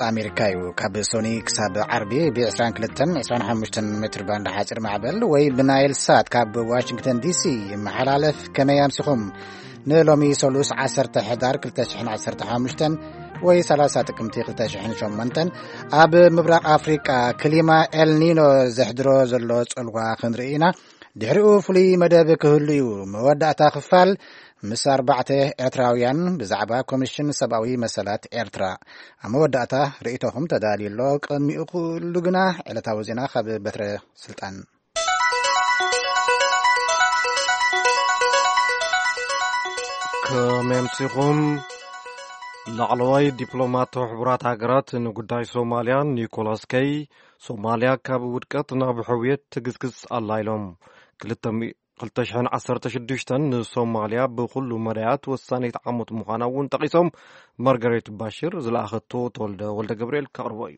ኣሜሪካ እዩ። ካብ ሶኒ ክሳብ ዓርቢ ብ22 25 ሜትር ባንድ ሓፂር ማዕበል ወይ ብናይል ሳት ካብ ዋሽንግተን ዲሲ ይመሓላለፍ። ከመይ ኣምሲኹም? ንሎሚ ሰሉስ 10 ሕዳር 2015 ወይ 30 ጥቅምቲ 2008 ኣብ ምብራቕ ኣፍሪቃ ክሊማ ኤልኒኖ ዘሕድሮ ዘሎ ጽልዋ ክንርኢ ኢና። ድሕሪኡ ፍሉይ መደብ ክህሉ እዩ። መወዳእታ ክፋል ምስ ኣርባዕተ ኤርትራውያን ብዛዕባ ኮሚሽን ሰብኣዊ መሰላት ኤርትራ። ኣብ መወዳእታ ርእይቶኹም ተዳልዩ ኣሎ። ቅድሚኡ ኩሉ ግና ዕለታዊ ዜና ካብ በትረ ስልጣን። ከመምሲኹም። ላዕለዋይ ዲፕሎማት ሕቡራት ሃገራት ንጉዳይ ሶማልያ ኒኮላስ ከይ፣ ሶማልያ ካብ ውድቀት ናብ ሕውየት ትግስግስ ኣላ ኢሎም። ክልተ ሚ-፣ 2016 ንሶማልያ ብኩሉ መዳያት ወሳኒት ዓመት ምዃና እውን ጠቒሶም። ማርጋሬት ባሽር ዝለኣኸቶ ተወልደ ወልደ ገብርኤል ከቕርቦ እዩ።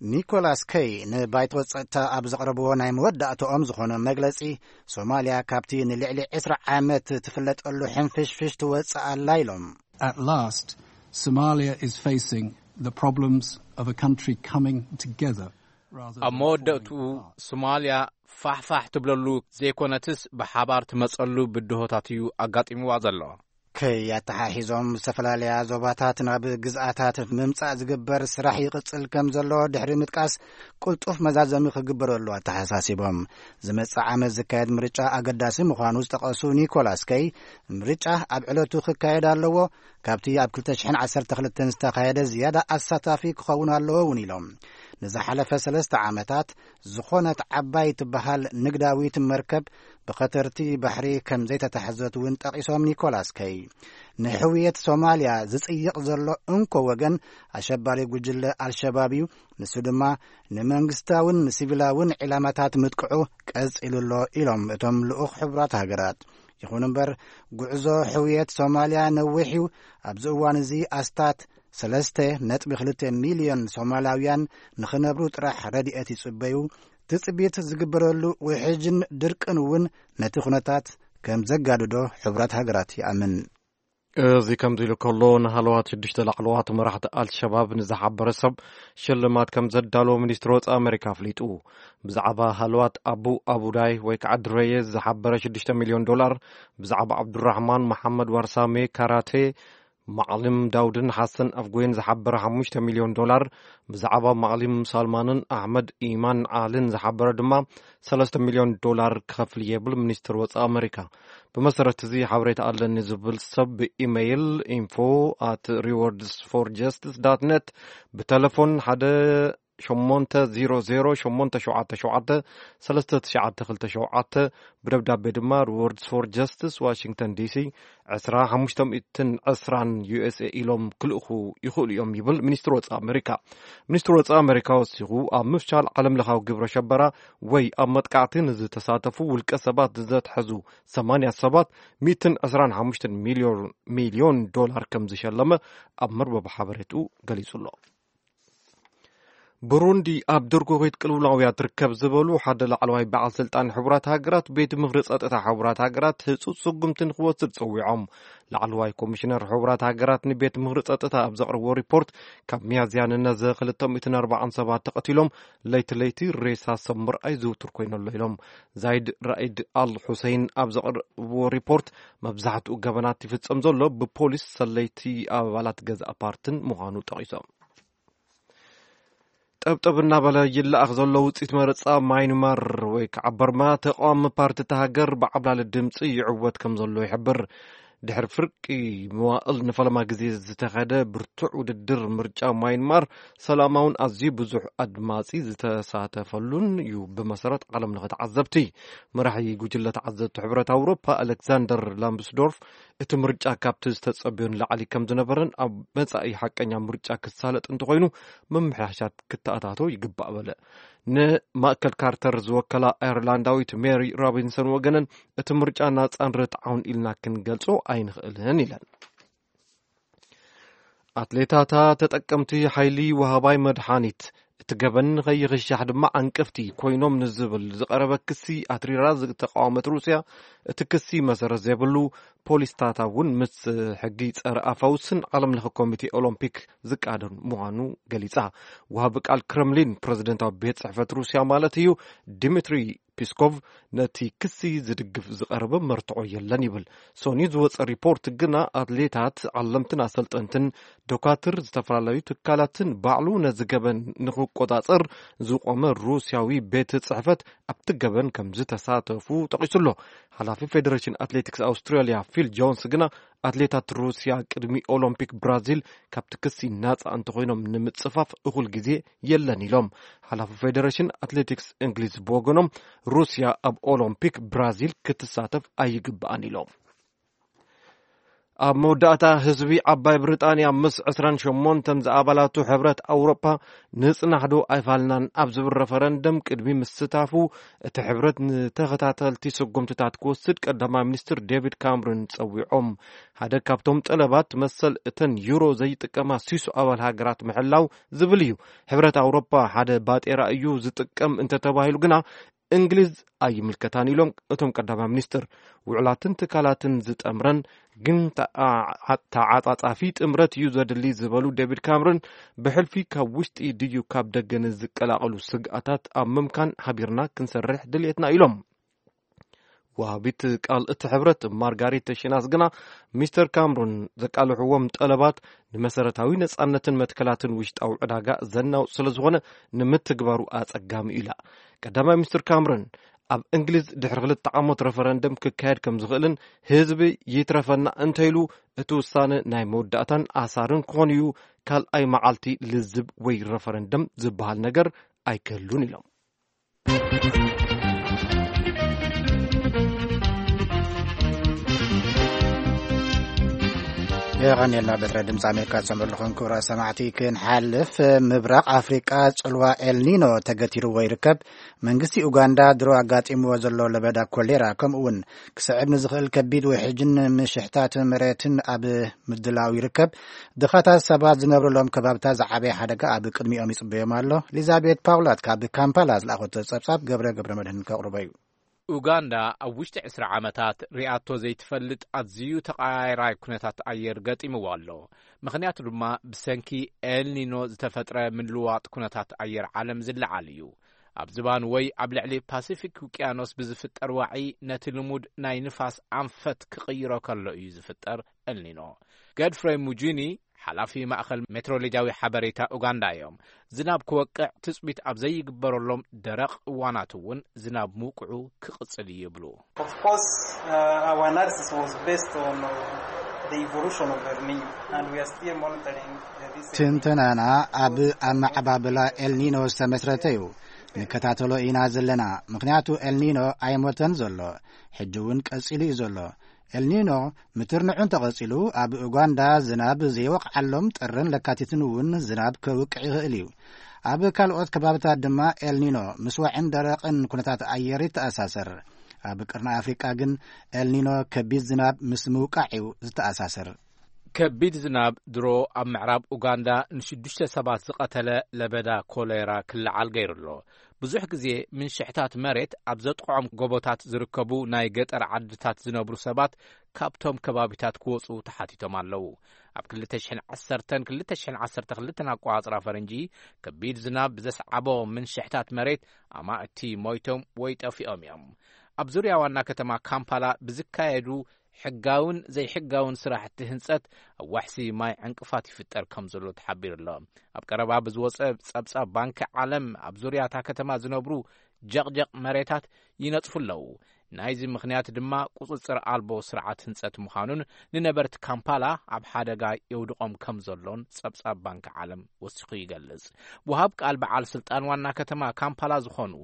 ኒኮላስ ከይ ንባይቶ ጸጥታ ኣብ ዘቕረብዎ ናይ መወዳእታኦም ዝኾነ መግለጺ፣ ሶማልያ ካብቲ ንልዕሊ 20 ዓመት ትፍለጠሉ ሕንፍሽፍሽ ትወጽእ ኣላ ኢሎም። At last, Somalia is facing the problems of a country coming together rather ኣብ than መወዳእትኡ falling apart. ሶማልያ ፋሕፋሕ ትብለሉ ዘይኮነትስ ብሓባር ትመጸሉ ብድሆታት እዩ ኣጋጢምዋ ዘሎ። ከይ ኣተሓሒዞም፣ ዝተፈላለያ ዞባታት ናብ ግዝኣታት ምምጻእ ዝግበር ስራሕ ይቕጽል ከም ዘሎ ድሕሪ ምጥቃስ፣ ቅልጡፍ መዛዘሚ ክግበረሉ ኣተሓሳሲቦም። ዝመጽእ ዓመት ዝካየድ ምርጫ ኣገዳሲ ምዃኑ ዝጠቐሱ ኒኮላስ ከይ፣ ምርጫ ኣብ ዕለቱ ክካየድ ኣለዎ፣ ካብቲ ኣብ 2012 ዝተኻየደ ዝያዳ ኣሳታፊ ክኸውን ኣለዎ እውን ኢሎም። ንዝሓለፈ ሰለስተ ዓመታት ዝኾነት ዓባይ ትበሃል ንግዳዊት መርከብ ብኸተርቲ ባሕሪ ከም ዘይተታሕዘት እውን ጠቒሶም ኒኮላስ ከይ፣ ንሕውየት ሶማልያ ዝጽይቕ ዘሎ እንኮ ወገን ኣሸባሪ ጉጅለ ኣልሸባብ እዩ። ንሱ ድማ ንመንግስታውን ንሲቪላውን ዒላማታት ምጥቅዑ ቀጺሉ ኣሎ ኢሎም እቶም ልኡኽ ሕቡራት ሃገራት። ይኹን እምበር፣ ጉዕዞ ሕውየት ሶማልያ ነዊሕ እዩ። ኣብዚ እዋን እዚ ኣስታት 3.2 ሚልዮን ሶማላውያን ንኽነብሩ ጥራሕ ረድኤት ይጽበዩ። ትጽቢት ዝግበረሉ ውሕጅን ድርቅን እውን ነቲ ኩነታት ከም ዘጋድዶ ሕቡራት ሃገራት ይኣምን። እዚ ከምዚ ኢሉ ከሎ፣ ንሃለዋት ሽዱሽተ ላዕለዋት መራሕቲ ኣልሸባብ ንዝሓበረ ሰብ ሽልማት ከም ዘዳለዎ ሚኒስትሪ ወጻኢ ኣሜሪካ ኣፍሊጡ። ብዛዕባ ሃለዋት ኣቡ ኣቡዳይ ወይ ከዓ ድረየ ዝሓበረ ሽዱሽተ ሚልዮን ዶላር፣ ብዛዕባ ዓብዱራሕማን መሓመድ ዋርሳሜ ካራቴ፣ ማዕሊም ዳውድን ሓሰን ኣፍጎይን ዝሓበረ ሓሙሽተ ሚልዮን ዶላር፣ ብዛዕባ ማዕሊም ሳልማንን ኣሕመድ ኢማን ዓልን ዝሓበረ ድማ ሰለስተ ሚልዮን ዶላር ክኸፍል እየ ይብል ሚኒስትር ወጻኢ ኣሜሪካ። ብመሰረት እዚ ሓበሬታ ኣለኒ ዝብል ሰብ ብኢሜይል info at rewards for justice dot net፣ ብተለፎን ሓደ ሸሞንተ ዜሮ ዜሮ ሸሞንተ ሸውዓተ ሸውዓተ ሰለስተ ትሽዓተ ክልተ ሸውዓተ፣ ብደብዳቤ ድማ ሪዎርድስ ፎር ጀስቲስ ዋሽንግተን ዲሲ ዕስራ ሓሙሽተ ሚእትን ዕስራን ዩኤስኤ ኢሎም ክልእኹ ይኽእሉ እዮም ይብል ሚኒስትሪ ወጻኢ ኣሜሪካ። ሚኒስትሪ ወጻኢ ኣሜሪካ ወሲኹ፣ ኣብ ምፍሻል ዓለም ለኻዊ ግብረ ሸበራ ወይ ኣብ መጥቃዕቲ ንዝተሳተፉ ውልቀ ሰባት ዘትሐዙ ሰማንያ ሰባት ሚእትን ዕስራን ሓሙሽተን ሚልዮን፣ ሚልዮን ዶላር ከም ዝሸለመ ኣብ መርበብ ሓበሬትኡ ገሊጹ ኣሎ። ብሩንዲ ኣብ ድርጎኺት ቅልውላውያ ትርከብ ዝበሉ ሓደ ላዕለዋይ በዓል ስልጣን ሕቡራት ሃገራት፣ ቤት ምኽሪ ጸጥታ ሕቡራት ሃገራት ህጹጽ ስጉምቲ ንኽወስድ ጸዊዖም። ላዕለዋይ ኮሚሽነር ሕቡራት ሃገራት ንቤት ምኽሪ ጸጥታ ኣብ ዘቕረብዎ ሪፖርት፣ ካብ ሚያዝያ ንነዘ ክልተ ሚእትን ኣርባዓን ሰባት ተቐቲሎም፣ ለይቲ ለይቲ ሬሳ ሰብ ምርኣይ ዝውቱር ኮይኑ ኣሎ ኢሎም። ዛይድ ራኢድ ኣል ሑሰይን ኣብ ዘቕረብዎ ሪፖርት፣ መብዛሕትኡ ገበናት ይፍጸም ዘሎ ብፖሊስ፣ ሰለይቲ ኣባላት ገዛእ ፓርትን ምዃኑ ጠቒሶም። ጠብጠብ እናበለ ይለኣኽ ዘሎ ውፅኢት መረፃ ማይንማር ወይ ከዓ በርማ፣ ተቃዋሚ ፓርቲ እታ ሃገር ብዓብላሊ ድምፂ ይዕወት ከም ዘሎ ይሕብር። ድሕሪ ፍርቂ መዋእል ንፈለማ ግዜ ዝተኸደ ብርቱዕ ውድድር ምርጫ ማይንማር፣ ሰላማውን ኣዝዩ ብዙሕ ኣድማፂ ዝተሳተፈሉን እዩ፣ ብመሰረት ዓለም ለኸ ተዓዘብቲ። መራሒ ጉጅለ ተዓዘብቲ ሕብረት ኣውሮፓ ኣሌክዛንደር ላምብስዶርፍ፣ እቲ ምርጫ ካብቲ ዝተጸበዮ ንላዕሊ ከም ዝነበረን ኣብ መጻኢ ሓቀኛ ምርጫ ክሳለጥ እንተኾይኑ ምምሕያሻት ክተኣታቶ ይግባእ በለ። ንማእከል ካርተር ዝወከላ ኣየርላንዳዊት ሜሪ ሮቢንሰን ወገነን፣ እቲ ምርጫ ናጻን ርትዓውን ኢልና ክንገልጾ ኣይንኽእልን ኢለን። ኣትሌታታ ተጠቀምቲ ሓይሊ ወሃባይ መድሓኒት እቲ ገበን ንኸይኽሻሕ ድማ ዓንቀፍቲ ኮይኖም ንዝብል ዝቐረበ ክሲ ኣትሪራ ዝተቃወመት ሩስያ፣ እቲ ክሲ መሰረት ዘይብሉ፣ ፖሊስታታ እውን ምስ ሕጊ ጸረ ኣፋውስን ዓለም ለኸ ኮሚቴ ኦሎምፒክ ዝቃደን ምዃኑ ገሊጻ። ወሃቢ ቃል ክረምሊን ፕረዚደንታዊ ቤት ጽሕፈት ሩስያ ማለት እዩ፣ ዲሚትሪ ፒስኮቭ፣ ነቲ ክሲ ዝድግፍ ዝቐረበ መርትዖ የለን ይብል። ሶኒ ዝወጸ ሪፖርት ግና ኣትሌታት፣ ዓለምትን ኣሰልጠንትን፣ ዶካትር፣ ዝተፈላለዩ ትካላትን ባዕሉ ነዚ ገበን ንክቆጻጸር ዝቆመ ሩስያዊ ቤት ጽሕፈት ኣብቲ ገበን ከም ዝተሳተፉ ጠቒሱ ኣሎ። ሓላፊ ፌደሬሽን ኣትሌቲክስ ኣውስትራልያ ፊል ጆንስ ግና ኣትሌታት ሩስያ ቅድሚ ኦሎምፒክ ብራዚል ካብቲ ክሲ ናጻ እንተኾይኖም ንምጽፋፍ እኹል ግዜ የለን ኢሎም። ሓላፊ ፌደሬሽን ኣትሌቲክስ እንግሊዝ ብወገኖም ሩስያ ኣብ ኦሎምፒክ ብራዚል ክትሳተፍ ኣይግብኣን ኢሎም። ኣብ መወዳእታ ህዝቢ ዓባይ ብሪጣንያ ምስ ዕስራን ሸሞንተን ዝኣባላቱ ሕብረት ኣውሮፓ ንጽናሕ ዶ ኣይፋልናን ኣብ ዝብል ረፈረንደም ቅድሚ ምስታፉ እቲ ሕብረት ንተኸታተልቲ ስጉምትታት ክወስድ ቀዳማይ ሚኒስትር ዴቪድ ካምሩን ጸዊዖም። ሓደ ካብቶም ጠለባት መሰል እተን ዩሮ ዘይጥቀማ ሲሶ ኣባል ሃገራት ምሕላው ዝብል እዩ። ሕብረት ኣውሮፓ ሓደ ባጤራ እዩ ዝጥቀም እንተተባሂሉ ግና እንግሊዝ ኣይምልከታን ኢሎም እቶም ቀዳማይ ሚኒስትር። ውዕላትን ትካላትን ዝጠምረን ግን ተዓ-፣ ተዓጻጻፊ ጥምረት እዩ ዘድሊ ዝበሉ ዴቪድ ካምሩን ብሕልፊ ካብ ውሽጢ ድዩ ካብ ደገ ንዝቀላቐሉ ስግኣታት ኣብ ምምካን ሓቢርና ክንሰርሕ ድልየትና ኢሎም። ወሃቢት ቃል እቲ ሕብረት ማርጋሪት ተሽናስ ግና ሚስተር ካምሩን ዘቃልሕዎም ጠለባት ንመሰረታዊ ነጻነትን መትከላትን ውሽጣዊ ዕዳጋ ዘናውጽ ስለ ዝኾነ ንምትግባሩ ኣጸጋሚ እዩ ኢላ። ቀዳማይ ሚኒስትር ካምሩን ኣብ እንግሊዝ ድሕሪ ክልተ ዓመት ረፈረንደም ክካየድ ከም ዝኽእልን ህዝቢ ይትረፈና እንተኢሉ እቲ ውሳነ ናይ መወዳእታን ኣሳርን ክኾን እዩ። ካልኣይ መዓልቲ ልዝብ ወይ ረፈረንደም ዝበሃል ነገር ኣይክህሉን ኢሎም። የቐንየልና። በትረ ድምፂ ኣሜሪካ ዝሰምዑ ኣለኹም ክቡራት ሰማዕቲ። ክንሓልፍ፣ ምብራቕ ኣፍሪቃ ጽልዋ ኤልኒኖ ተገቲርዎ ይርከብ። መንግስቲ ኡጋንዳ ድሮ ኣጋጢምዎ ዘሎ ለበዳ ኮሌራ፣ ከምኡ እውን ክስዕብ ንዝኽእል ከቢድ ውሕጅን ምሽሕታት መሬትን ኣብ ምድላው ይርከብ። ድኻታት ሰባት ዝነብሩሎም ከባብታት ዝዓበየ ሓደጋ ኣብ ቅድሚኦም ይጽበዮም ኣሎ። ኤሊዛቤት ፓውላት ካብ ካምፓላ ዝለኣኸቶ ጸብጻብ ገብረ ገብረ መድህን ከቕርቦ እዩ። ኡጋንዳ ኣብ ውሽጢ ዕስራ ዓመታት ሪኣቶ ዘይትፈልጥ ኣዝዩ ተቐያይራይ ኩነታት ኣየር ገጢምዋ ኣሎ። ምኽንያቱ ድማ ብሰንኪ ኤልኒኖ ዝተፈጥረ ምልዋጥ ኩነታት ኣየር ዓለም ዝለዓል እዩ። ኣብ ዝባን ወይ ኣብ ልዕሊ ፓሲፊክ ውቅያኖስ ብዝፍጠር ዋዒ ነቲ ልሙድ ናይ ንፋስ ኣንፈት ክቕይሮ ከሎ እዩ ዝፍጠር ኤልኒኖ። ገድፍሬ ሙጂኒ ሓላፊ ማእኸል ሜትሮሎጂያዊ ሓበሬታ ኡጋንዳ እዮም። ዝናብ ክወቅዕ ትጽቢት ኣብ ዘይግበረሎም ደረቕ እዋናት እውን ዝናብ ምውቅዑ ክቕጽል እዩ ይብሉ። Of course, uh, our analysis was based on uh, the evolution of El Nino, and we are still monitoring uh, this. ትንተናና ኣብ ኣመዓባብላ ኤልኒኖ ዝተመስረተ እዩ። ንከታተሎ ኢና ዘለና። ምኽንያቱ ኤልኒኖ ኣይሞተን ዘሎ፣ ሕጂ እውን ቀጺሉ እዩ ዘሎ። ኤልኒኖ ምትርንዑ እንተቐጺሉ ኣብ ኡጋንዳ ዝናብ ዘይወቕዓሎም ጥርን ለካቲትን እውን ዝናብ ከውቅዕ ይኽእል እዩ። ኣብ ካልኦት ከባብታት ድማ ኤልኒኖ ምስ ዋዕን ደረቕን ኩነታት ኣየር ይተኣሳሰር። ኣብ ቅርኒ ኣፍሪቃ ግን ኤልኒኖ ከቢድ ዝናብ ምስ ምውቃዕ እዩ ዝተኣሳሰር። ከቢድ ዝናብ ድሮ ኣብ ምዕራብ ኡጋንዳ ንሽዱሽተ ሰባት ዝቐተለ ለበዳ ኮሌራ ክለዓል ገይሩ ኣሎ። ብዙሕ ግዜ ምንሽሕታት መሬት ኣብ ዘጥቕዖም ጎቦታት ዝርከቡ ናይ ገጠር ዓድታት ዝነብሩ ሰባት ካብቶም ከባቢታት ክወጹ ተሓቲቶም ኣለዉ። ኣብ ክልተ ሽሕን ዓሰርተን ክልተ ሽሕን ዓሰርተ ክልተን ኣቆጻጽራ ፈረንጂ ከቢድ ዝናብ ብዘስዓቦ ምንሽሕታት መሬት ኣማእቲ ሞይቶም ወይ ጠፊኦም እዮም። ኣብ ዙርያ ዋና ከተማ ካምፓላ ብዝካየዱ ሕጋውን ዘይሕጋውን ስራሕቲ ህንጸት ኣብ ዋሕሲ ማይ ዕንቅፋት ይፍጠር ከም ዘሎ ተሓቢሩ ኣሎ። ኣብ ቀረባ ብዝወጸ ጸብጻብ ባንኪ ዓለም ኣብ ዙርያ እታ ከተማ ዝነብሩ ጀቕጀቕ መሬታት ይነጽፉ ኣለዉ። ናይዚ ምኽንያት ድማ ቁጽጽር ኣልቦ ስርዓት ህንጸት ምዃኑን ንነበርቲ ካምፓላ ኣብ ሓደጋ የውድቖም ከም ዘሎን ጸብጻብ ባንኪ ዓለም ወሲኹ ይገልጽ። ወሃብ ቃል በዓል ስልጣን ዋና ከተማ ካምፓላ ዝኾኑ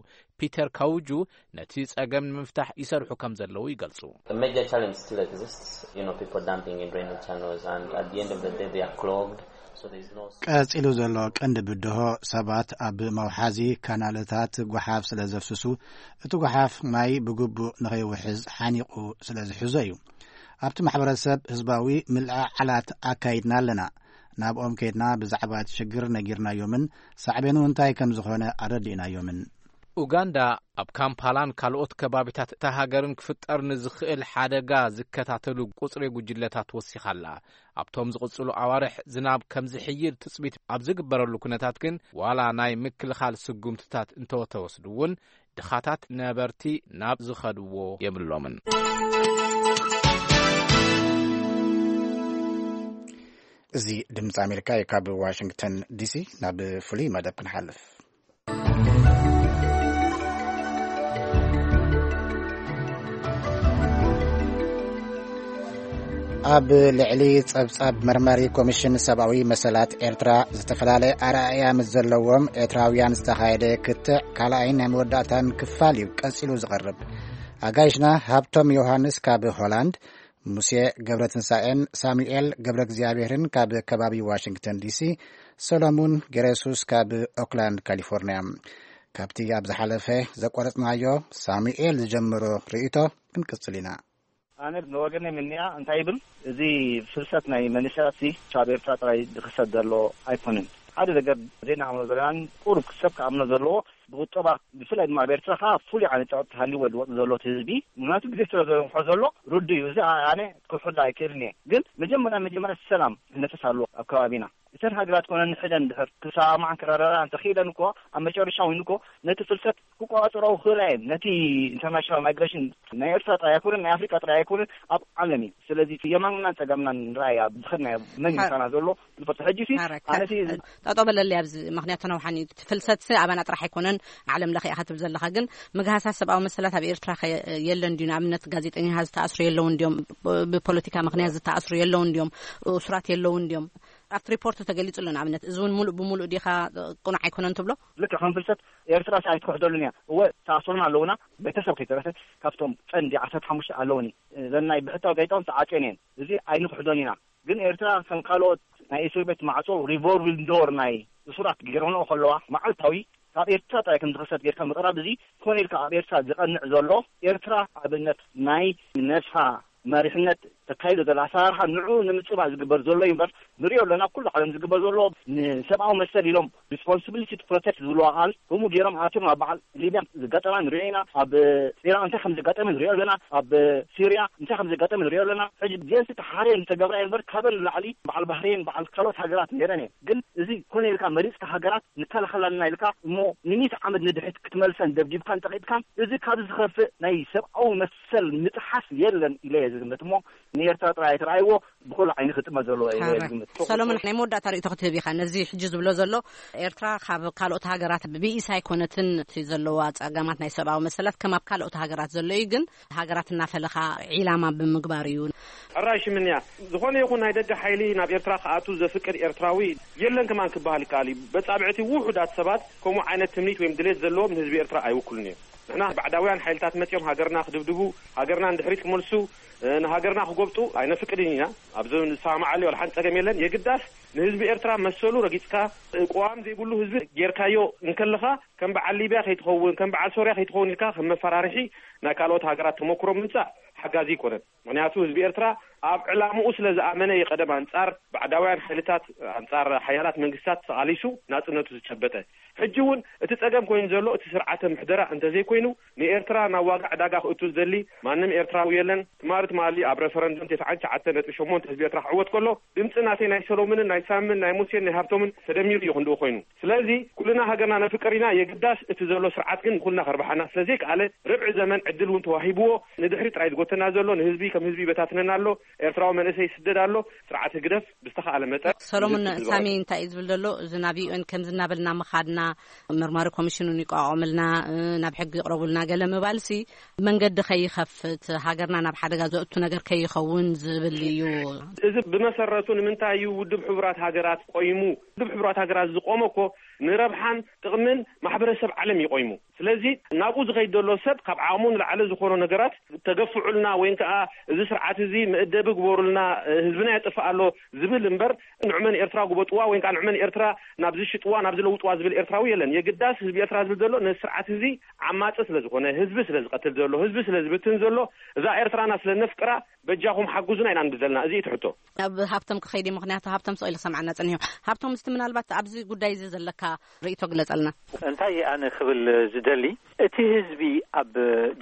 ፒተር ካውጁ ነቲ ጸገም ንምፍታሕ ይሰርሑ ከም ዘለዉ ይገልጹ። The major challenge still exists, you know, people dumping in drainage channels, and at the end of the day they are clogged, so there's no. ቀጺሉ ዘሎ ቀንዲ ብድሆ ሰባት ኣብ መውሓዚ ካናልታት ጓሓፍ ስለ ዘፍስሱ እቲ ጓሓፍ ማይ ብግቡእ ንኸይውሕዝ ሓኒቑ ስለ ዝሕዞ እዩ። ኣብቲ ማሕበረሰብ ህዝባዊ ምልዕዓላት ኣካይድና ኣለና። ናብኦም ከይድና ብዛዕባ እቲ ሽግር ነጊርናዮምን ሳዕቤኑ እንታይ ከም ዝኾነ ኣረዲእናዮምን። ኡጋንዳ ኣብ ካምፓላን ካልኦት ከባቢታት እታ ሃገርን ክፍጠር ንዝኽእል ሓደጋ ዝከታተሉ ቁጽሪ ጉጅለታት ወሲኻ ኣላ። ኣብቶም ዝቕጽሉ ኣዋርሕ ዝናብ ከም ዝሕይል ትጽቢት ኣብ ዝግበረሉ ኩነታት ግን ዋላ ናይ ምክልኻል ስጉምትታት እንተተወስዱ እውን ድኻታት ነበርቲ ናብ ዝኸድዎ የብሎምን። እዚ ድምፂ ኣሜሪካ እዩ። ካብ ዋሽንግተን ዲሲ ናብ ፍሉይ መደብ ክንሓልፍ። ኣብ ልዕሊ ጸብጻብ መርማሪ ኮሚሽን ሰብኣዊ መሰላት ኤርትራ ዝተፈላለየ ኣረኣእያ ምስ ዘለዎም ኤርትራውያን ዝተኻየደ ክትዕ ካልኣይን ናይ መወዳእታን ክፋል እዩ ቀጺሉ ዝቐርብ። ኣጋይሽና ሃብቶም ዮሃንስ ካብ ሆላንድ፣ ሙሴ ገብረትንሳኤን ሳሙኤል ገብረ እግዚኣብሔርን ካብ ከባቢ ዋሽንግተን ዲሲ፣ ሰሎሙን ገሬሱስ ካብ ኦክላንድ ካሊፎርኒያ። ካብቲ ኣብ ዝሓለፈ ዘቋረጽናዮ ሳሙኤል ዝጀመሮ ርእይቶ ክንቅጽል ኢና። ኣነ ንወገነይ ምንያ እንታይ ይብል፣ እዚ ፍልሰት ናይ መንእሰያት ሲ ካብ ኤርትራ ጥራይ ዝኽሰት ዘሎ ኣይኮነን። ሓደ ነገር ዘይናምኖ ዘለናን ቁሩብ ሰብ ክኣምኖ ዘለዎ፣ ብቁጠባ ብፍላይ ድማ ኣብ ኤርትራ ከዓ ፍሉይ ዓይነት ጸቕጢ ሃልይዎ ዝወጽእ ዘሎ እቲ ህዝቢ፣ ምክንያቱ ግዜ ስለ ዘንውሖ ዘሎ ርዱእ እዩ። እዚ ኣነ ክሕሎ ኣይክእልን እየ። ግን መጀመርያ መጀመርያ ሰላም ክነፍስ ኣለዎ ኣብ ከባቢና። እተን ሃገራት ኮነ ንሕደን ድሕር ክሰማማዓን ክረዳዳኣን እንተኽኢለን እኮ ኣብ መጨረሻ እውን እኮ ነቲ ፍልሰት ክቆጻጸራኦ ክኽእላ እየን። ነቲ ኢንተርናሽናል ማይግሬሽን ናይ ኤርትራ ጥራይ ኣይኮነን፣ ናይ ኣፍሪቃ ጥራይ ኣይኮነን፣ ኣብ ዓለም እዩ። ስለዚ የማንናን ጸጋምናን ንርኣይ ኣብ ዝኸድናዮ መን ሓ- ምሳና ዘሎ ንፈልጦ። ሕጂ ሲ ሓረካ። ኣነ ሲ ጠጦ በለለይ ኣብዚ፣ ምክንያቱ ነውሓን እዩ። እቲ ፍልሰት ሲ ኣባና ጥራሕ ኣይኮነን፣ ዓለም ለኸ ኢኻ ትብል ዘለኻ። ግን ምግሃሳት ሰብኣዊ መሰላት ኣብ ኤርትራ ኸ የለን ድዩ? ንኣብነት ጋዜጠኛታት ዝተኣስሩ የለውን ድዮም? ብ-፣ ብፖለቲካ ምክንያት ዝተኣስሩ የለውን ድዮም? እሱራት የለውን ድዮም? ኣብቲ ሪፖርት ተገሊጹ ኣሎ። ንኣብነት እዚ እውን ሙሉእ ብሙሉእ ዲኻ ቅኑዕ ኣይኮነን ትብሎ? ልክዕ ከም ፍልሰት ኤርትራ ሲ ኣይትክሕደሉን እያ። እወ ተኣስሩና ኣለውና፣ ቤተሰብ ከይተረፈ ካብቶም ቀንዲ ዓሰርተ ሓሙሽተ ኣለውኒ። እዘን ናይ ብሕታዊ ጋዜጣ እውን ተዓጽየን እየን። እዚ ኣይንክሕዶን ኢና። ግን ኤርትራ ከም ካልኦት ናይ እስር ቤት ማዕጾ ሪቮልቪንግ ዶር ናይ እሱራት ገይረንኦ ከለዋ መዓልታዊ ካብ ኤርትራ ጥራይ ከም ዝኽሰት ጌርካ ምቕራብ እዚ ኮነ ኢልካ ኣብ ኤርትራ ዝቐንዕ ዘሎ ኤርትራ ኣብነት ናይ ነብሳ መሪሕነት ተካይዶ ዘላ ኣሰራርሓ ንዑ ንምጽባል ዝግበር ዘሎ እዩ እምበር ንሪኦ ኣለና። ኩሉ ዓለም ዝግበር ዘሎ ንሰብኣዊ መሰል ኢሎም ሪስፖንሲቢሊቲ ቱ ፕሮቴክት ዝብልዋ ቃል ከምኡ ገይሮም ኣትዮም ኣብ በዓል ሊብያ ዘጋጠማ ንሪኦ ኢና። ኣብ ኢራን እንታይ ከም ዘጋጠመ ንሪኦ ኣለና። ኣብ ሲርያ እንታይ ከም ዘጋጠመ ንሪኦ ኣለና። ሕጂ ዜንሲ ተሓርየን ዝተገብራ እየን እምበር ካበን ንላዕሊ በዓል ባህሬን በዓል ካልኦት ሃገራት ነይረን እየን። ግን እዚ ኮነ ኢልካ መሪጽካ ሃገራት ንከላኸለልና ኢልካ እሞ ንሚእቲ ዓመት ንድሕሪት ክትመልሰን ደብዲብካን ጠቒጥካን እዚ ካብ ዝኸፍእ ናይ ሰብኣዊ መሰል ምጥሓስ የለን ኢለ እየ ዝግምት። እሞ ንኤርትራ ጥራይ ኣይተረኣይዎ ብኩሉ ዓይኒ ክጥመት ዘለዎ እየ ሓረ። ዝግምት። ሰሎሞን፣ ናይ መወዳእታ ርእይቶ ክትህብ ኢኻ። ነዚ ሕጂ ዝብሎ ዘሎ ኤርትራ ካብ ካልኦት ሃገራት ብኢስ ኣይኮነትን እቲ ዘለዋ ጸገማት ናይ ሰብኣዊ መሰላት ከም ኣብ ካልኦት ሃገራት ዘሎ እዩ። ግን ሃገራት እናፈለኻ ዒላማ ብምግባር እዩ። ሕራይ ሽምንያ፣ ዝኾነ ይኹን ናይ ደገ ሓይሊ ናብ ኤርትራ ክኣቱ ዘፍቅድ ኤርትራዊ የለን ከማን ክበሃል ይከኣል እዩ። በጻብዕቲ ውሑዳት ሰባት ከምኡ ዓይነት ትምኒት ወይም ድሌት ዘለዎም ንህዝቢ ኤርትራ ኣይውክሉን እዮም። ንሕና ባዕዳውያን ሓይልታት መጺኦም ሃገርና ክድብድቡ፣ ሃገርና ንድሕሪት ክመልሱ፣ እ፣ ንሃገርና ክጎብጡ ኣይነፍቅድን ኢና። ኣብዚ ንሰማማዓሉ ዋላ ሓንቲ ጸገም የለን። የግዳስ ንህዝቢ ኤርትራ መሰሉ ረጊጽካ፣ እ፣ ቅዋም ዘይብሉ ህዝቢ ጌርካዮ እንከለኻ ከም በዓል ሊብያ ከይትኸውን፣ ከም በዓል ሶርያ ከይትኸውን ኢልካ ከም መፈራርሒ ናይ ካልኦት ሃገራት ተመክሮ ምምጻእ ሓጋዚ ኣይኮነን። ምክንያቱ ህዝቢ ኤርትራ ኣብ ዕላምኡ ስለ ዝኣመነ እዩ ቀደም ኣንጻር ባዕዳውያን ሓይልታት፣ ኣንጻር ሓያላት መንግስታት ተቓሊሱ ናጽነቱ ዝጨበጠ። ሕጂ እውን እቲ ጸገም ኮይኑ ዘሎ እቲ ስርዓተ ምሕደራ እንተዘይኮይኑ ንኤርትራ ናብ ዋጋ ዕዳጋ ክእቱ ዝደሊ ማንም ኤርትራዊ የለን። ትማሊ ትማሊ ኣብ ረፈረንደም ተስዓን ትሽዓተ ነጥቢ ሸሞንተ ህዝቢ ኤርትራ ክዕወት ከሎ ድምጺ ናተይ ናይ ሰሎሞንን ናይ ሳምን ናይ ሙሴን ናይ ሃብቶምን ተደሚሩ እዩ ክንድኡ ኮይኑ። ስለዚ ኩልና ሃገርና ነፍቅር ኢና። የግዳስ እቲ ዘሎ ስርዓት ግን ንኩልና ከርብሓና ስለ ዘይከኣለ ርብዒ ዘመን ዕድል እውን ተዋሂብዎ ንድሕሪ ጥራይ ዝጎተና ዘሎ ንህዝቢ ከም ህዝቢ ይበታትነና ኣሎ። ኤርትራዊ መንእሰይ ይስደድ ኣሎ። ስርዓት ህግደፍ ብዝተኻእለ መጠን ሰሎሞን፣ ንህዝቢ ሳሚ ዝቐርብ። እንታይ እዩ ዝብል ዘሎ? እዚ ናብ ዩ ኤን ከምዚ እናበልና ምኻድና መርማሪ ኮሚሽን እውን ይቋቋምልና፣ እ፣ ናብ ሕጊ ይቕረቡልና ገለ ምባልሲ መንገዲ ከይኸፍት ሃገርና ናብ ሓደጋ ዘእቱ ነገር ከይኸውን ዝብል እዩ። እዚ ብመሰረቱ ንምንታይ እዩ ውድብ ሕቡራት ሃገራት ቆይሙ? ውድብ ሕቡራት ሃገራት ዝቆመ እኮ ንረብሓን ጥቕምን ማሕበረሰብ ዓለም እዩ ቆይሙ። ስለዚ ናብኡ ዝኸይድ ዘሎ ሰብ ካብ ዓቕሙ ንላዕሊ ዝኾኑ ነገራት ተገፍዑልና ወይን ከኣ እዚ ስርዓት እዚ መእደቢ ግበሩልና፣ ህዝብና የጥፍእ ኣሎ ዝብል እምበር ንዕመን ኤርትራ ግበጥዋ ወይን ከኣ ንዕመን ኤርትራ ናብ ዝሽጥዋ ናብ ዝለውጥዋ ዝብል ኤርትራዊ የለን። የግዳስ ህዝቢ ኤርትራ ዝብል ዘሎ ነዚ ስርዓት እዚ ዓማጺ ስለ ዝኾነ፣ ህዝቢ ስለ ዝቐትል ዘሎ፣ ህዝቢ ስለ ዝብትን ዘሎ፣ እዛ ኤርትራና ስለ ነፍቅራ በጃኹም ሓጉዙና ኢና ንብል ዘለና። እዚ እዩ እቲ ሕቶ። ናብ ሃብቶም ክኸይድ እዩ፣ ምኽንያቱ ሃብቶም ስቕ ኢሉ ክሰምዓና ጸኒሑ። ሃብቶም፣ እስቲ ምናልባት ኣብዚ ጉዳይ እዚ ዘለካ ርእይቶ ግለጸልና። እንታይ ኣነ ክብል ዝደሊ፣ እቲ ህዝቢ ኣብ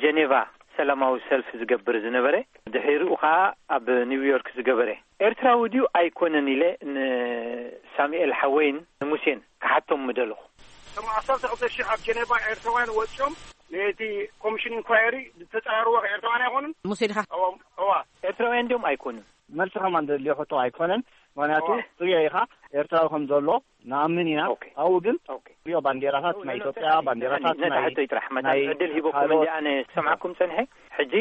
ጀኔቫ ሰላማዊ ሰልፊ ዝገብር ዝነበረ፣ ድሒሩ ኸኣ ኣብ ኒውዮርክ ዝገበረ፣ ኤርትራዊ ድዩ ኣይኮነን ኢለ ንሳሙኤል ሓወይን ንሙሴን ክሓቶም ምደለኹ። እቶም ዓሰርተ ክልተ ሽሕ ኣብ ጀኔቫ ኤርትራውያን ወጺኦም ነቲ ኮሚሽን ኢንኳየሪ ዝተጻረርዎ ኤርትራውያን ኣይኮኑን? ሙሴ ዲኻ? እዋ፣ እዋ። ኤርትራውያን ድዮም ኣይኮኑን? መልሲ ከማን ዘድልዮ ሕቶ ኣይኮነን። ምኽንያቱ እዋ። ትሪኦ ኢኻ፣ ኤርትራዊ ከም ዘሎ ንኣምን ኢና። ኦኬ። ኣብኡ ግን ኦኬ። ትሪኦ ባንዴራታት ናይ ኢትዮጵያ፣ ባንዴራታት ነታ ናይ፣ ሕቶይ ጥራሕ፣ መታን ናይ ዕድል ሂበኩም ካልኦት እንዲ ኣነ ሰምዓኩም ጸንሐ። ሕጂ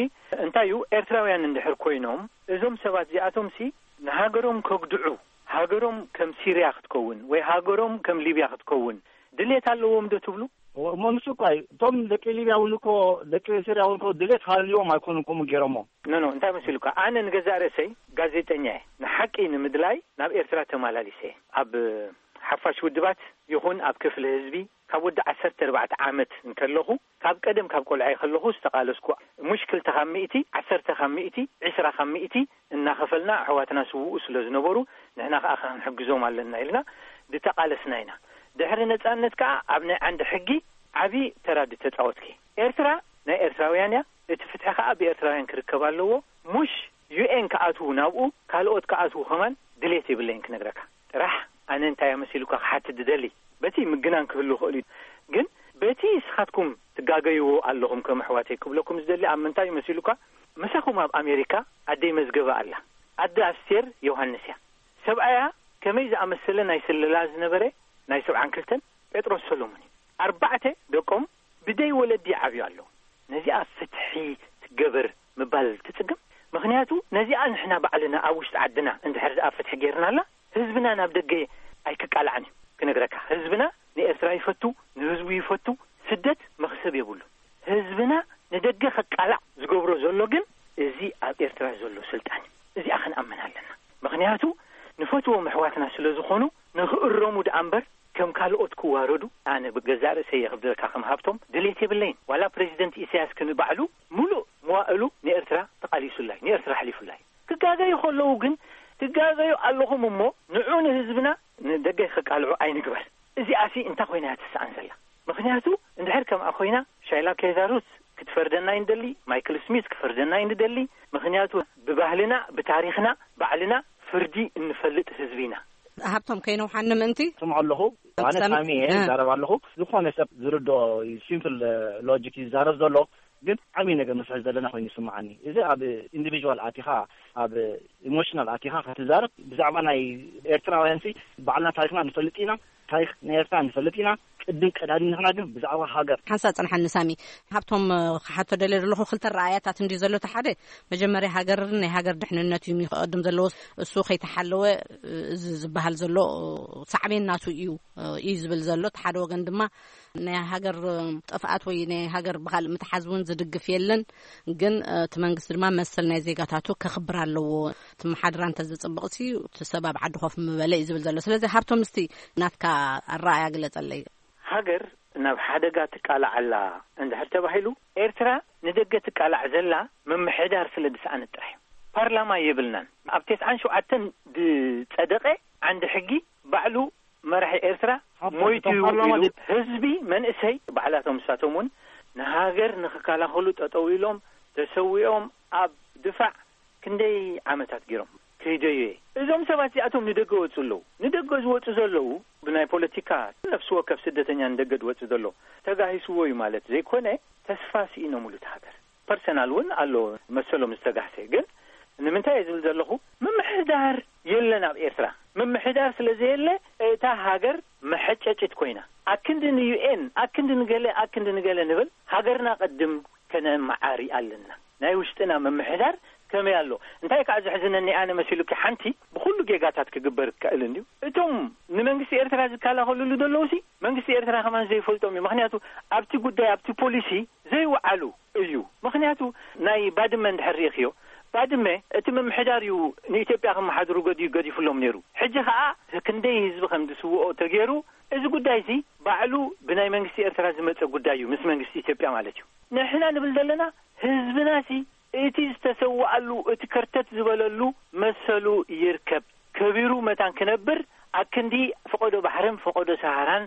እንታይ እዩ፣ ኤርትራውያን እንድሕር ኮይኖም፣ እዞም ሰባት እዚኣቶም ሲ ንሃገሮም ከጉድዑ፣ ሃገሮም ከም ሲርያ ክትከውን ወይ ሃገሮም ከም ሊብያ ክትከውን ድሌት ኣለዎም ዶ ትብሉ? እሞ ንሱ እኮ እዩ። እቶም ደቂ ሊብያ እውን እኮ፣ ደቂ ሲርያ እውን እኮ ድሌት ሃልዮም ኣይኮኑን ከምኡ ገይሮሞ። ኖ፣ ኖ፣ እንታይ መሲሉካ? ኣነ ንገዛእ ርእሰይ ጋዜጠኛ እየ። ንሓቂ ንምድላይ ናብ ኤርትራ ተመላሊሰ እየ። ኣብ ሓፋሽ ውድባት ይኹን ኣብ ክፍሊ ህዝቢ ካብ ወዲ ዓሰርተ ኣርባዕተ ዓመት እንከለኹ፣ ካብ ቀደም ካብ ቆልዓይ ከለኹ ዝተቓለስኩ፣ ሙሽ ክልተ ካብ ሚእቲ፣ ዓሰርተ ካብ ሚእቲ፣ ዕስራ ካብ ሚእቲ እናኸፈልና ኣሕዋትና ስውኡ ስለ ዝነበሩ፣ ንሕና ከኣ ክንሕግዞም ኣለና ኢልና ዝተቓለስና ኢና። ድሕሪ ነጻነት ከኣ ኣብ ናይ ዓንዲ ሕጊ ዓቢ ተራ ዝተጻወትኪ። ኤርትራ ናይ ኤርትራውያን እያ፣ እቲ ፍትሒ ከኣ ብኤርትራውያን ክርከብ ኣለዎ። ሙሽ ዩ ኤን ክኣትዉ ናብኡ፣ ካልኦት ክኣትዉ ከማን ድሌት የብለይን ክነግረካ። ጥራሕ ኣነ እንታይ እየ መሲሉካ ክሓትት ዝደሊ? በቲ ምግናን ክህሉ ይኽእል እዩ፣ ግን በቲ ንስኻትኩም ትጋገይዎ ኣለኹም ከም ኣሕዋተይ ክብለኩም ዝደሊ ኣብ ምንታይ እዩ መሲሉካ? ምሳኹም ኣብ ኣሜሪካ ኣደይ መዝገበ ኣላ። ኣደ ኣስቴር ዮሃንስ እያ። ሰብኣያ ከመይ ዝኣመሰለ ናይ ስለላ ዝነበረ ናይ ሰብዓን ክልተን ጴጥሮስ ሰሎሞን እዩ። ኣርባዕተ ደቆም ብደይ ወለዲ ይዓብዩ ኣለዉ። ነዚኣ ፍትሒ ትገበር ምባል ትጽግም። ምኽንያቱ ነዚኣ ንሕና ባዕልና ኣብ ውሽጢ ዓድና እንድሕር ደኣ ፍትሒ ጌርናላ፣ ህዝብና ናብ ደገ ኣይክቃላዕን እዩ። ክነግረካ፣ ህዝብና ንኤርትራ ይፈቱ፣ ንህዝቡ ይፈቱ። ስደት መኽሰብ የብሉን። ህዝብና ንደገ ከቃላዕ ዝገብሮ ዘሎ ግን እዚ ኣብ ኤርትራ ዘሎ ስልጣን እዩ። እዚኣ ክንኣምን ኣለና። ምኽንያቱ ንፈትዎም ኣሕዋትና ስለ ዝኾኑ ንኽእረሙ ደኣ እምበር ከም ካልኦት ክዋረዱ ኣነ ብገዛእ ርእሰይ እየ ክብለካ ከም ሃብቶም ድሌት የብለይን። ዋላ ፕሬዚደንት ኢሳያስ ክንባዕሉ ሙሉእ መዋእሉ ንኤርትራ ተቓሊሱላ እዩ፣ ንኤርትራ ኣሕሊፉላ እዩ። ክጋገዩ ከለዉ ግን ትጋገዩ ኣለኹም እሞ ንዑ ንህዝብና ንደገ ከቃልዑ ኣይንግበር። እዚኣሲ እንታይ ኮይና እያ ትስኣን ዘላ? ምኽንያቱ እንድሕር ከምኣ ኮይና ሻይላ ኬዛሩት ክትፈርደና ይንደሊ፣ ማይክል ስሚዝ ክፈርደና ይንደሊ። ምኽንያቱ ብባህልና ብታሪኽና ባዕልና ፍርዲ እንፈልጥ ህዝቢ ኢና። ሃብቶም ከይነውሓኒ ምእንቲ ስምዖ ኣለኹ። ኣነ ሳሚ እየ ዝዛረብ ኣለኹ። ዝኾነ ሰብ ዝርድኦ ሲምፕል ሎጂክ ይዛረብ ዘሎ፣ ግን ዓብዪ ነገር ንስሕት ዘለና ኮይኑ ይስምዓኒ። እዚ ኣብ ኢንዲቪዥዋል ኣቲኻ፣ ኣብ ኢሞሽናል ኣቲኻ ክትዛረብ ብዛዕባ ናይ ኤርትራውያን ሲ ባዕልና ታሪኽና ንፈልጥ ኢና፣ ታሪኽ ናይ ኤርትራ ንፈልጥ ኢና። ቅድም ቀዳዲ ንሕና ግን ብዛዕባ ሃገር። ሓንሳብ ጽንሓኒ ሳሚ። ሃብቶም ክሓቶ ደልየ ዘለኹ ክልተ ረኣያታት እንዲ ዘሎ፣ እቲ ሓደ መጀመርያ ሃገር ናይ ሃገር ድሕንነት እዩ ክቐድም ዘለዎ። እሱ ከይተሓለወ እዚ ዝበሃል ዘሎ ሳዕቤን ናቱ እዩ እዩ ዝብል ዘሎ። እቲ ሓደ ወገን ድማ ናይ ሃገር ጥፍኣት ወይ ናይ ሃገር ብኻልእ ምትሓዝ እውን ዝድግፍ የለን። ግን እቲ መንግስቲ ድማ መሰል ናይ ዜጋታቱ ከኽብር ኣለዎ። እቲ መሓድራ እንተዝጽብቕሲ እቲ ሰብ ኣብ ዓዲ ኮፍ ምበለ እዩ ዝብል ዘሎ። ስለዚ ሃብቶም እስቲ ናትካ ኣረኣያ ግለጸለይ። ሃገር ናብ ሓደጋ ትቃላዕ ኣላ እንድሕር ተባሂሉ፣ ኤርትራ ንደገ ትቃላዕ ዘላ ምምሕዳር ስለ ዝሰኣነት ጥራሕ እዩ። ፓርላማ የብልናን። ኣብ ተስዓን ሸውዓተን ዝጸደቐ ዓንዲ ሕጊ ባዕሉ መራሒ ኤርትራ ሞይቱ እዩ ኢሉ ህዝቢ መንእሰይ ባዕላቶም ንሳቶም እውን ንሃገር ንኽከላኸሉ ጠጠው ኢሎም ተሰዊኦም ኣብ ድፋዕ ክንደይ ዓመታት ገይሮም ከይደዩ እየ። እዞም ሰባት እዚኣቶም ንደገ ወፁ ኣለዉ። ንደገ ዝወፁ ዘለዉ ብናይ ፖለቲካ ነፍሲ ወከፍ ስደተኛ ንደገ ዝወፁ ዘሎ ተጋሂስዎ እዩ ማለት ዘይኮነ ተስፋ ስኢኖምሉ እቲ ሃገር። ፐርሰናል እውን ኣሎ መሰሎም ዝተጋህሰ። ግን ንምንታይ እየ ዝብል ዘለኹ? ምምሕዳር የለን ኣብ ኤርትራ። ምምሕዳር ስለ ዘየለ እታ ሃገር መሐጨጭት ኮይና። ኣክንዲ ንዩኤን፣ ኣክንዲ ንገለ፣ ኣክንዲ ንገለ ንብል፣ ሃገርና ቅድም ከነመዓሪ ኣለና። ናይ ውሽጥና ምምሕዳር ከመይ ኣሎ? እንታይ ከዓ ዘሕዝነኒ ኣነ መሲሉኪ፣ ሓንቲ ብኩሉ ጌጋታት ክግበር ክእል እንድዩ። እቶም ንመንግስቲ ኤርትራ ዝከላኸልሉ ዘለዉ ሲ መንግስቲ ኤርትራ ከማን ዘይፈልጦም እዩ። ምክንያቱ ኣብቲ ጉዳይ፣ ኣብቲ ፖሊሲ ዘይወዓሉ እዩ። ምክንያቱ ናይ ባድመ እንድሕር ርኢኽዮ፣ ባድመ እቲ ምምሕዳር እዩ ንኢትዮጵያ ከመሓድሩ ገዲ-፣ ገዲፉሎም ነይሩ። ሕጂ ከኣ ክንደይ ህዝቢ ከም ዝስውኦ ተገይሩ፣ እዚ ጉዳይ እዚ ባዕሉ ብናይ መንግስቲ ኤርትራ ዝመጸ ጉዳይ እዩ፣ ምስ መንግስቲ ኢትዮጵያ ማለት እዩ። ንሕና ንብል ዘለና ህዝብና ሲ እቲ ዝተሰዋኣሉ፣ እቲ ከርተት ዝበለሉ መሰሉ ይርከብ። ከቢሩ መታን ክነብር ኣብ ክንዲ ፈቐዶ ባሕርን ፈቐዶ ሰሃራን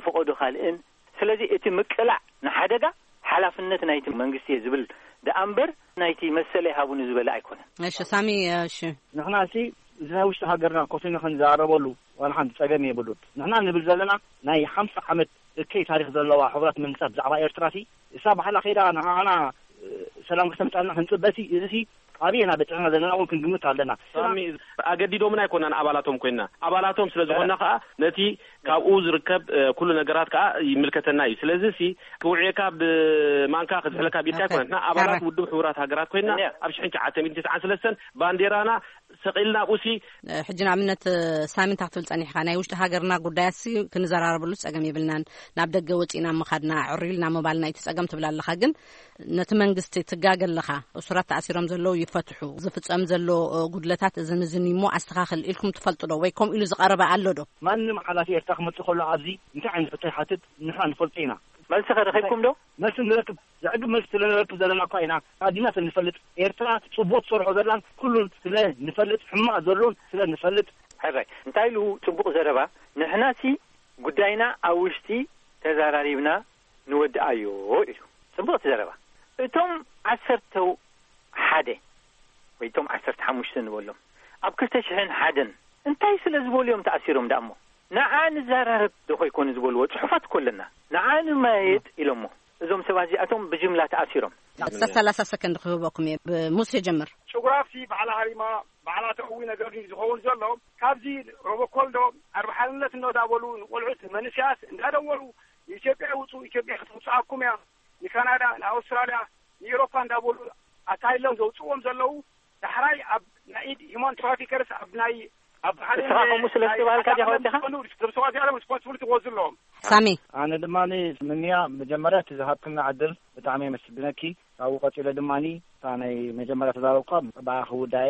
ፈቐዶ ካልእን። ስለዚ እቲ ምቅላዕ ንሓደጋ ሓላፍነት ናይቲ መንግስቲ እየ ዝብል ደኣ እምበር ናይቲ መሰለይ ሃቡኒ ዝበለ ኣይኮነን። እሺ ሳሚ፣ እሺ። ንሕና ሲ እዚ ናይ ውሽጢ ሃገርና ኮፊና ክንዘራረበሉ ዋላ ሓንቲ ጸገም የብሉን። ንሕና ንብል ዘለና ናይ ሓምሳ ዓመት እከይ ታሪኽ ዘለዋ ሕቡራት መንግስታት ብዛዕባ ኤርትራ ሲ እሳ ባዕላ ከይዳ ንዓና ሰላም ክተምጻልና ክንጽበ ሲ እዚ ሲ ኣበየና በጽሕና ዘለና እውን ክንግምት ኣለና። ሳሚ፣ ኣገዲዶምና ኣይኮናን ኣባላቶም ኮይና፣ ኣባላቶም ስለ ዝኾንና ከኣ ነቲ ካብኡ ዝርከብ ኩሉ ነገራት ከኣ ይምልከተና እዩ። ስለዚ ሲ ክውዕየካ ብማንካ ክዝሕለካ ብኢድካ ኣይኮነን። ንሕና ኣባላት ውድብ ሕቡራት ሃገራት ኮይና ኣብ ሽሕን ትሽዓተ ሚእትን ትስዓን ሰለስተን ባንዴራና ሰቒልና ኣብኡ ሲ ሕጂ ንኣብነት ሳሚ እንታይ ክትብል ጸኒሕካ? ናይ ውሽጢ ሃገርና ጉዳያት ሲ ክንዘራረበሉ ጸገም የብልናን፣ ናብ ደገ ወጺእና ምኻድና ዕርዩ ኢልና ምባልና እዩ እቲ ጸገም ትብል ኣለኻ። ግን ነቲ መንግስቲ ትጋገ ኣለኻ። እሱራት ተኣሲሮም ዘለዉ ይፈትሑ፣ ዝፍጸም ዘሎ ጉድለታት እዝን እዝን እዩ እሞ ኣስተኻኽል ኢልኩም ትፈልጡ ዶ? ወይ ከምኡ ኢሉ ዝቐረበ ኣሎ ዶ? ማንም ሓላፊ ኤርትራ ክመጽእ ከሎ ኣብዚ እንታይ ዓይነት ሕቶ ይሓትት ንሕና ንፈልጦ ኢና። መልሲ ከረኺብኩም ዶ? መልሲ ንረክብ፣ ዘዕግብ መልሲ ስለ ንረክብ ዘለና እኳ ኢና ኣዲና ስለ ንፈልጥ፣ ኤርትራ ጽቡቕ ትሰርሖ ዘላን ኩሉን ስለ ንፈልጥ፣ ሕማቕ ዘሎን ስለ ንፈልጥ። ሕራይ እንታይ ኢሉ ጽቡቕ ዘረባ? ንሕናሲ ጉዳይና ኣብ ውሽጢ ተዛራሪብና ንወድኣዮ ኢሉ። ጽቡቕቲ ዘረባ። እቶም ዓሰርተ ሓደ ወይ እቶም ዓሰርተ ሓሙሽተ ንበሎም ኣብ ክልተ ሽሕን ሓደን እንታይ ስለ ዝበሉ እዮም ተኣሲሮም ደኣ እሞ? ንዓ ንዘራረብ ዶ ኾይኮኑ ዝበልዎ ጽሑፋት እኮ ኣለና። ንዓ ንመየጥ ኢሎሞ። እዞም ሰባት እዚኣቶም ብጅምላ ተኣሲሮም። ሰላሳ ሰከንድ ክህበኩም እየ። ብሙሴ ጀምር። ጭጉራፍሲ ባዕላ ሃሪማ ባዕላ ተእዊ ነገር እዩ ዝኸውን ዘሎ። ካብዚ ሮቦኮል ዶ ኣርባ ሓርነት እንዳበሉ ንቆልዑት መንእሰያት እንዳደወሉ ንኢትዮጵያ ይውፁ፣ ኢትዮጵያ ክትውፅኣኩም እያ፣ ንካናዳ፣ ንኣውስትራልያ፣ ንኤውሮፓ እንዳበሉ ኣታይሎም ዘውፅዎም ዘለዉ ዳሕራይ ኣብ ናይ ኢድ ሂማን ትራፊከርስ ኣብ ናይ ኣብ ሓደ ንስኻ ከምኡ ስለ ናይ ዝተባሃልካ ዲኻ ኣካላት ወዲኻ? ዝኾኑ ስብሰባ እዚኣቶም ሪስፖንሲቢሊቲ ክወስዱ ኣለዎም። ሳሚ። ኣነ ድማ ምንያ መጀመርያ እቲ ዝሃብክና ዕድል ብጣዕሚ የመስግነኪ። ካብኡ ቀፂለ ድማ እታ ናይ መጀመርያ ተዛረብኳ ብኣ ክውዳኤ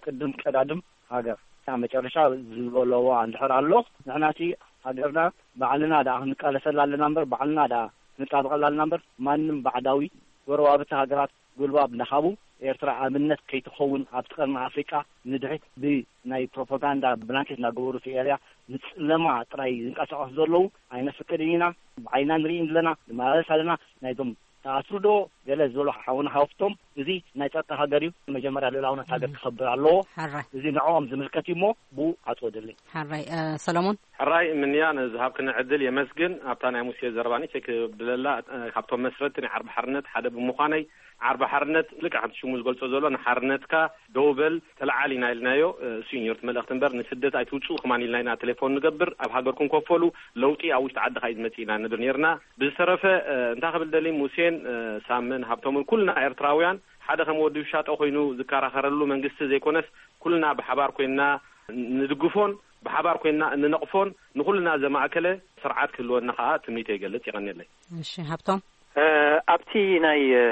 ቅድም ቀዳድም ሃገር ኣብ መጨረሻ ዝበለዎ እንድሕር ኣሎ ንሕናሲ ሃገርና ባዕልና ደኣ ክንቃለሰላ ኣለና እምበር ባዕልና ደኣ ክንጣበቐላ ኣለና እምበር ማንም ባዕዳዊ ጎረባብቲ ሃገራት ጉልባብ እናሃቡ ኤርትራ ኣብነት ከይትኸውን ኣብቲ ቀርኒ ኣፍሪቃ ንድሕሪት ብናይ ፕሮፓጋንዳ ብላንኬት እናገበሩ እቲ ኤርያ ንፅለማ ጥራይ ዝንቀሳቐሱ ዘለዉ ኣይነፍቅድን ኢና። ብዓይና ንርኢ ኣለና፣ ንመላለስ ኣለና። ናይዞም ተኣስሩ ዶ ገለ ዝበሉ ሓውና ሃብቶም እዚ ናይ ጸጥታ ሃገር እዩ። መጀመርያ ልእላውነት ሃገር ክኸብር ኣለዎ። ሕራይ። እዚ ንዕኦም ዝምልከት እዩ እሞ ብኡ ዓጽወድለይ። ሕራይ። እ፣ ሰሎሞን? ሕራይ ምንያ ንዝሃብክኒ ዕድል የመስግን። ኣብታ ናይ ሙሴ ዘረባኒ ቼክ ብለላ፣ እ፣ ካብቶም መስረቲ ናይ ዓርቢ ሓርነት ሓደ ብምዃነይ ዓርቢ ሓርነት ልክዕ ከምቲ ሽሙ ዝገልጾ ዘሎ ንሓርነትካ ደው በል ተለዓል ኢና ኢልናዮ። እ፣ እሱ እዩ ነይሩ እቲ መልእኽቲ እምበር ንስደት ኣይትውጽኡ ከማን ኢልና ኢና ቴሌፎን ንገብር። ኣብ ሃገርኩም ኮፈሉ ለውጢ ኣብ ውሽጢ ዓድኻ እዩ ዝመጽእ ኢና ንብል ነይርና። ብዝተረፈ፣ እ፣ እንታይ ክብል ደሊ ሙሴን፣ እ፣ ሳምን ሃብቶምን ኩልና ኤርትራውያን ሓደ ከም ወዲ ውሻጦ ኮይኑ ዝከራኸረሉ መንግስቲ ዘይኮነስ ኩልና ብሓባር ኮይንና ንድግፎን ብሓባር ኮይንና እንነቕፎን ንኹልና ዘማእከለ ስርዓት ክህልወና ከኣ ትምኒተይ ይገልጽ። የቐንየለይ። እሺ ሃብቶም። እ፣ ኣብቲ ናይ፣ እ፣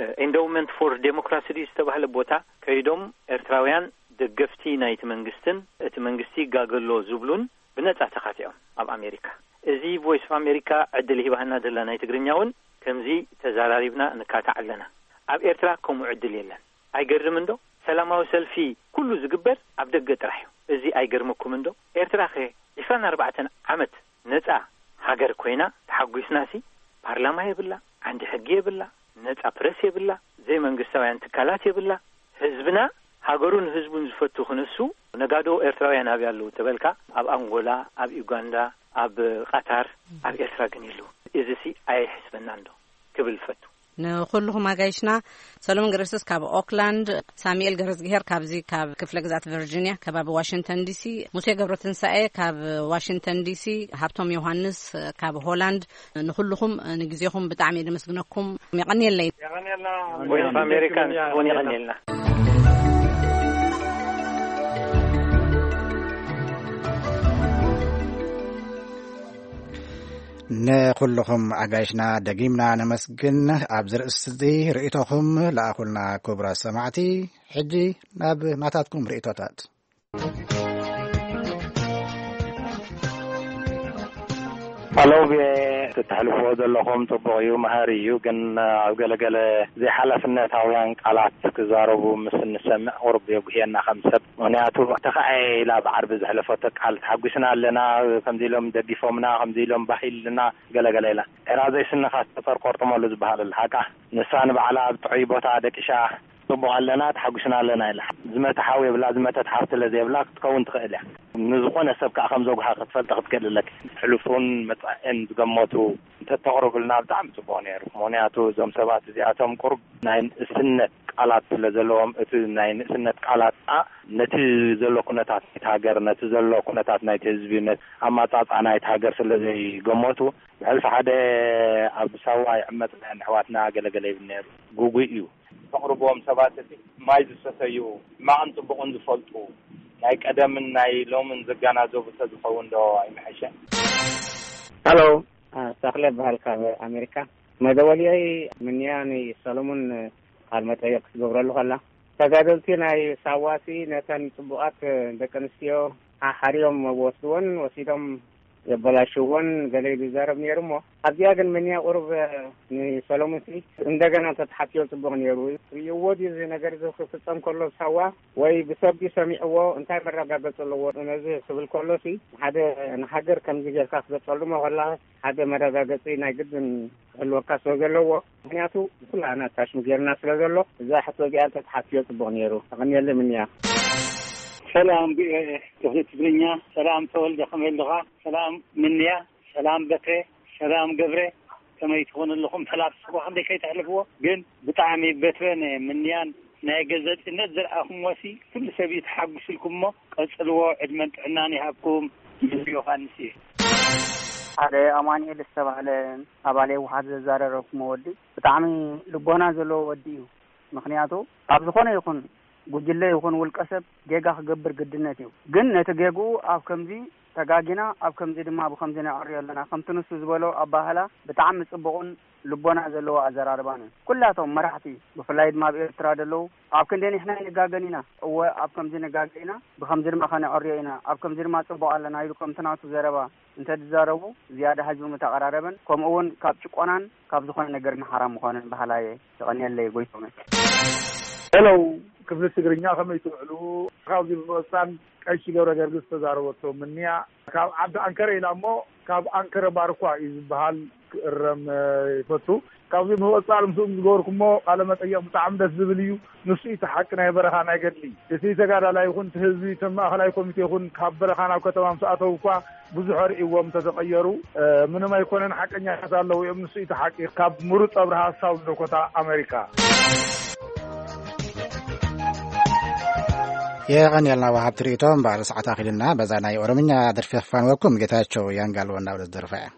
እ፣ ኤንዶውመንት ፎር ዴሞክራሲ ድዩ ዝተባህለ ቦታ ከይዶም ኤርትራውያን ደገፍቲ ናይቲ መንግስትን እቲ መንግስቲ ይጋገሎ ዝብሉን ብነጻ ተኻቲዖም ኣብ ኣሜሪካ። እዚ ቮይስ ኦፍ ኣሜሪካ ዕድል ሂባህና ዘላ ናይ ትግርኛ እውን ከምዚ ተዘራሪብና ንካታዕ ኣለና። ኣብ ኤርትራ ከምኡ ዕድል የለን። ኣይገርምን ዶ? ሰላማዊ ሰልፊ ኩሉ ዝግበር ኣብ ደገ ጥራሕ እዩ። እዚ ኣይገርመኩምን ዶ? ኤርትራ ከ ዒስራን ኣርባዕተን ዓመት ነጻ ሃገር ኮይና ተሓጒስናሲ ፓርላማ የብላ፣ ዓንዲ ሕጊ የብላ፣ ነጻ ፕረስ የብላ፣ ዘይመንግስታውያን ትካላት የብላ። ህዝብና ሃገሩን ህዝቡን ዝፈቱ ክንሱ ነጋዶ ኤርትራውያን ኣብይ ኣለዉ ተበልካ ኣብ ኣንጎላ፣ ኣብ ዩጋንዳ፣ ኣብ ቃታር፣ ኣብ ኤርትራ ግን የለዉ። እዚሲ ኣየሕስበናን ዶ ክብል ፈቱ። ንኹልኹም ኣጋይሽና ሰሎሞን ገረስስ ካብ ኦክላንድ፣ ሳሙኤል ገረዝግሄር ካብዚ ካብ ክፍለ ግዛት ቨርጂኒያ ከባቢ ዋሽንግተን ዲሲ፣ ሙሴ ገብረትንሳኤ ካብ ዋሽንግተን ዲሲ፣ ሃብቶም ዮሃንስ ካብ ሆላንድ፣ ንኹልኹም ንግዜኹም ብጣዕሚ እየ ደመስግነኩም። የቐንየለይ። ቮይስ ኦፍ ኣሜሪካ እውን የቐንየልና። ንኹልኹም ኣጋይሽና ደጊምና ነመስግን። ኣብዚ ርእስቲ እዚ ርእይቶኹም ለኣኹልና ክቡራት ሰማዕቲ። ሕጂ ናብ ናታትኩም ርእይቶታት። ሄሎ፣ ብ-፣ እተሕልፍዎ ዘለኹም ጽቡቕ እዩ፣ መሃሪ እዩ። ግን ኣብ ገለገለ ዘይሓላፍነታውያን ቃላት ክዛረቡ ምስ እንሰምዕ ቁሩብ የጉህየና ከም ሰብ። ምኽንያቱ፣ ተኸኣየ ኢላ ብዓርቢ ዘሕለፈቶ ቃል፣ ተሓጒስና ኣለና፣ ከምዚ ኢሎም ደጊፎምና፣ ከምዚ ኢሎም ባህ ኢልና፣ ገለገለ ኢላ። ኤራ ዘይስንኻ ተጸር ቆርጥመሉ ዝበሃል ኣሎ፣ ሓቃ። ንሳ ንባዕላ ኣብ ጥዑይ ቦታ ደቂሻ፣ ጽቡቕ ኣለና፣ ተሓጒስና ኣለና ኢላ። ዝመተ ሓው የብላ፣ ዝመተት ሓው ስለ ዘይብላ ክትከውን ትኽእል እያ። ንዝኾነ ሰብ ከኣ ከም ዘጉሃ ክትፈልጥ ክትክእል ኣለኪ። ሕሉፉን መጻእን ዝገመቱ እንተተቕርቡልና ብጣዕሚ ጽቡቕ ነይሩ። ምኽንያቱ እዞም ሰባት እዚኣቶም ቁሩብ ናይ ንእስነት ቃላት ስለ ዘለዎም፣ እቲ ናይ ንእስነት ቃላት ከኣ ነቲ ዘሎ ኩነታት ናይቲ ሃገር፣ ነቲ ዘሎ ኩነታት ናይቲ ህዝቢ፣ ነቲ ኣማጻጽኣ ናይቲ ሃገር ስለ ዘይገመቱ፣ ብሕልፊ ሓደ ኣብ ሳዋ ይዕመጽ ናይ ኣሕዋትና ገለገለ ይብል ነይሩ። ግጉይ እዩ። ተቕርብዎም ሰባት እቲ ማይ ዝሰተዩ፣ ሕማቕን ጽቡቕን ዝፈልጡ፣ ናይ ቀደምን ናይ ሎምን ዘገናዘቡ ተዝኸውን ዶ ኣይምሐሸን? ሃሎ፣ አ፣ ተኽለ እበሃል ካብ ኣሜሪካ። መደወልየይ ምንያ ንሰሎሞን ቃል መጠየቅ ክትገብረሉ ከላ፣ ተጋደልቲ ናይ ሳዋሲ ነተን ጽቡቓት ደቂ ኣንስትዮ ሓሓርዮም ወስድወን፣ ወሲዶም የበላሽወን ገለ ኢሉ ይዛረብ ነይሩ እሞ፣ ኣብዚኣ ግን ምንያ ቁሩብ ንሰሎሙን ሲ እንደገና እንተተሓትዮ ጽቡቕ ነይሩ። ርእይዎ ድዩ እዚ ነገር እዚ ክፍጸም ከሎ ሳዋ ወይ ብሰብ ድዩ ሰሚዕዎ? እንታይ መረጋገጺ ኣለዎ? ነዚ ክብል ከሎ ሲ ሓደ ንሃገር ከምዚ ጌርካ ክትገልጸሉ ከላ ሓደ መረጋገጺ ናይ ግድን ክህልወካ ስለ ዘለዎ፣ ምኽንያቱ ኩላና ታሽሙ ጌርና ስለ ዘሎ፣ እዛ ሕቶ እዚኣ እንተተሓትዮ ጽቡቕ ነይሩ። ተቐንየለይ ምንያ። ሰላም ቪኦኤ ክፍሊ ትግርኛ። ሰላም ተወልደ፣ ከመይ ኣለኻ? ሰላም ምንያ፣ ሰላም በከ፣ ሰላም ገብረ፣ ከመይ ትኾኑ ኣለኹም? ሕላፍ ስብሓ ክንደይ ከይተሕልፍዎ፣ ግን ብጣዕሚ በትረ ነ ምንያን ናይ ገዘጺነት ዘርኣኹምዎ ሲ ኩሉ ሰብ እዩ ተሓጒሱ ኢልኩም እሞ ቀጽልዎ፣ ዕድመን ጥዕናን ይሃብኩም። ይብል ዮሃንስ እየ። ሓደ ኣማኑኤል ዝተባህለ ኣባል ህወሓት ዘዛረረኩም ወዲ ብጣዕሚ ልቦና ዘለዎ ወዲ እዩ። ምኽንያቱ ኣብ ዝኾነ ይኹን ጉጅለ ይኹን ውልቀ ሰብ ጌጋ ክገብር ግድነት እዩ። ግን ነቲ ጌግኡ ኣብ ከምዚ ተጋጊና፣ ኣብ ከምዚ ድማ ብኸምዚ ነዕርዮ ኣለና፣ ከምቲ ንሱ ዝበሎ ኣባህላ ብጣዕሚ ጽቡቕን ልቦና ዘለዎ ኣዘራርባን እዩ። ኩላቶም መራሕቲ፣ ብፍላይ ድማ ኣብ ኤርትራ ዘለዉ፣ ኣብ ክንደይ ንሕና ኣይንጋገን ኢና። እወ፣ ኣብ ከምዚ ንጋገ ኢና፣ ብኸምዚ ድማ ከነዕርዮ ኢና፣ ኣብ ከምዚ ድማ ጽቡቕ ኣለና ኢሉ ከምቲ ናቱ ዘረባ እንተ ዝዛረቡ ዝያዳ ህዝቢ ምተቐራረበን፣ ከምኡ እውን ካብ ጭቆናን ካብ ዝኾነ ነገር ንሓራ ምዃንን በሃላይ እየ። የቐንየለይ ጎይቶመ። ሄሎ፣ ክፍሊ ትግርኛ ከመይ ትውዕሉ? ካብዚ ብምቕጻል ቀሺ ገብረ ገርግስ ዝተዛረበቶ ምንያ ካብ ዓዲ ኣንከረ ኢላ እሞ ካብ ኣንከረ ባርኳ እዩ ዝበሃል ክእረም፣ እ፣ ይፈቱ። ካብዚ ብምቕጻል ምስኦም ዝገበርኩሞ ቃለ መጠየቕ ብጣዕሚ ደስ ዝብል እዩ። ንሱ እዩ እቲ ሓቂ ናይ በረኻ ናይ ገድሊ። እቲ ተጋዳላይ ይኹን እቲ ህዝቢ፣ እቶም ማእኸላይ ኮሚቴ ይኹን ካብ በረኻ ናብ ከተማ ምስ ኣተዉ እኳ ብዙሕ ኣርእይዎም እንተተቐየሩ፣ እ፣ ምንም ኣይኮነን፣ ሓቀኛታት ኣለዉ እዮም። ንሱ እዩ እቲ ሓቂ። ካብ ምሩፅ ኣብርሃ፣ ሳውንድ ዳኮታ፣ ኣሜሪካ። የቐንየልና ወሃብቲ ርእይቶ። እምበኣር ሰዓት ኣኺልና፣ በዛ ናይ ኦሮምኛ ደርፊ የፋንወኩም። ጌታቸው ያንጋልዎ እንዳበለ ዝደርፋ እያ።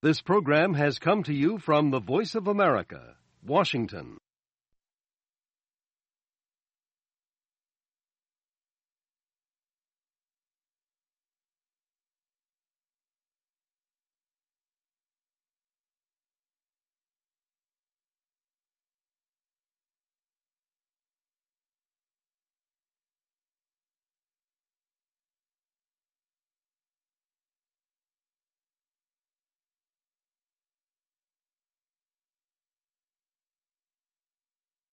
This program has come to you from the Voice of America, Washington.